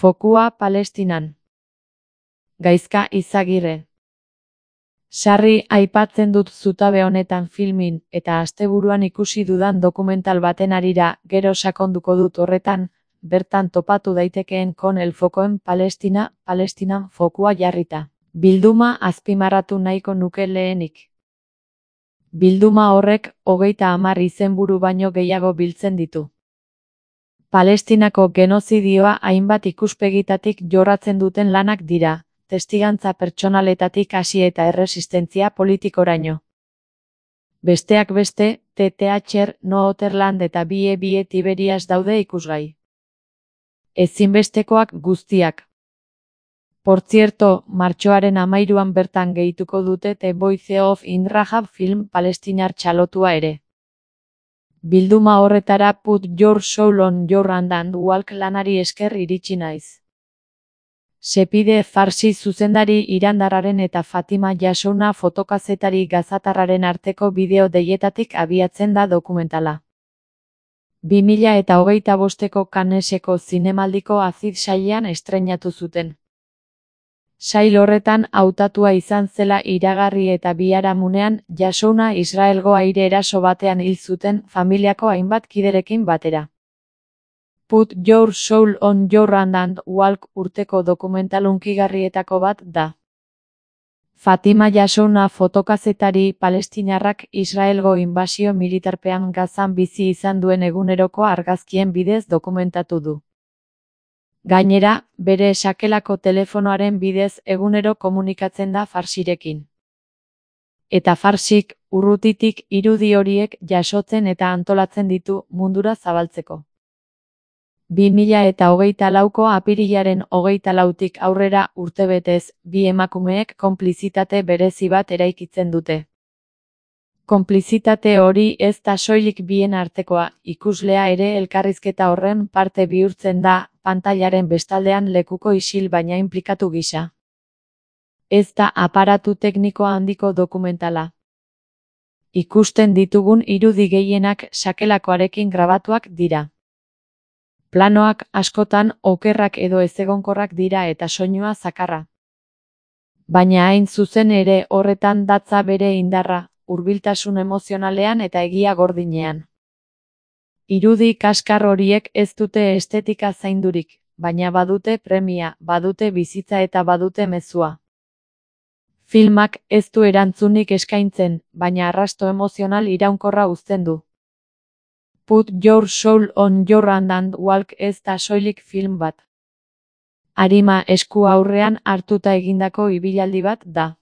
Fokua Palestinan. Gaizka Izagirre. Sarri aipatzen dut zutabe honetan filmin eta asteburuan ikusi dudan dokumental baten harira, gero sakonduko dut horretan, bertan topatu daitekeen Con el foco en Palestina, Palestinan fokua jarrita. Bilduma azpimarratu nahiko nuke lehenik. Bilduma horrek 30 izenburu baino gehiago biltzen ditu. Palestinako genozidioa hainbat ikuspegitatik jorratzen duten lanak dira, testigantza pertsonaletatik hasi eta erresistentzia politikoraino. Besteak beste, TTHR, Northern eta Bie Tiberias daude ikusgai. Ezinbestekoak guztiak. Por cierto, martxoaren 13an bertan gehituko dute The Voice of Inrahab film palestinar txalotua ere. Bilduma horretara Put Your Soul on Your Hand and Walk lanari esker iritsi naiz. Sepide Farsi zuzendari irandarraren eta Fatima Jassouna fotokazetari gazatarraren arteko bideo deietatik abiatzen da dokumentala. 2025ko Canneseko zinemaldiko Aziz sailean estreinatu zuten. Sail horretan hautatua izan zela iragarri eta biharamunean Jassouna Israelgo aire eraso batean hil zuten familiako hainbat kiderekin batera. Put Your Soul on Your Hand and Walk urteko dokumental hunkigarrietako bat da. Fatima Jassouna fotokazetari palestinarrak Israelgo inbasio militarpean Gazan bizi izan duen eguneroko argazkien bidez dokumentatu du. Gainera, bere sakelako telefonoaren bidez egunero komunikatzen da Farsirekin. Eta Farsik, urrutitik irudi horiek jasotzen eta antolatzen ditu mundura zabaltzeko. 2024ko apirilaren 24tik aurrera urtebetez, bi emakumeek konplizitate berezi bat eraikitzen dute. Konplizitate hori ez da soilik bien artekoa, ikuslea ere elkarrizketa horren parte bihurtzen da, pantailaren bestaldean lekuko isil baina inplikatu gisa. Ez da aparatu tekniko handiko dokumentala. Ikusten ditugun irudi gehienak sakelakoarekin grabatuak dira. Planoak askotan okerrak edo ezegonkorrak dira eta soinua zakarra. Baina hain zuzen ere horretan datza bere indarra, hurbiltasun emozionalean eta egia gordinean. Irudi kaskar horiek ez dute estetika zaindurik, baina badute premia, badute bizitza eta badute mezua. Filmak ez du erantzunik eskaintzen, baina arrasto emozional iraunkorra uzten du. Put Your Soul on Your Hand and Walk ez da soilik film bat. Arima esku aurrean hartuta egindako ibilaldi bat da.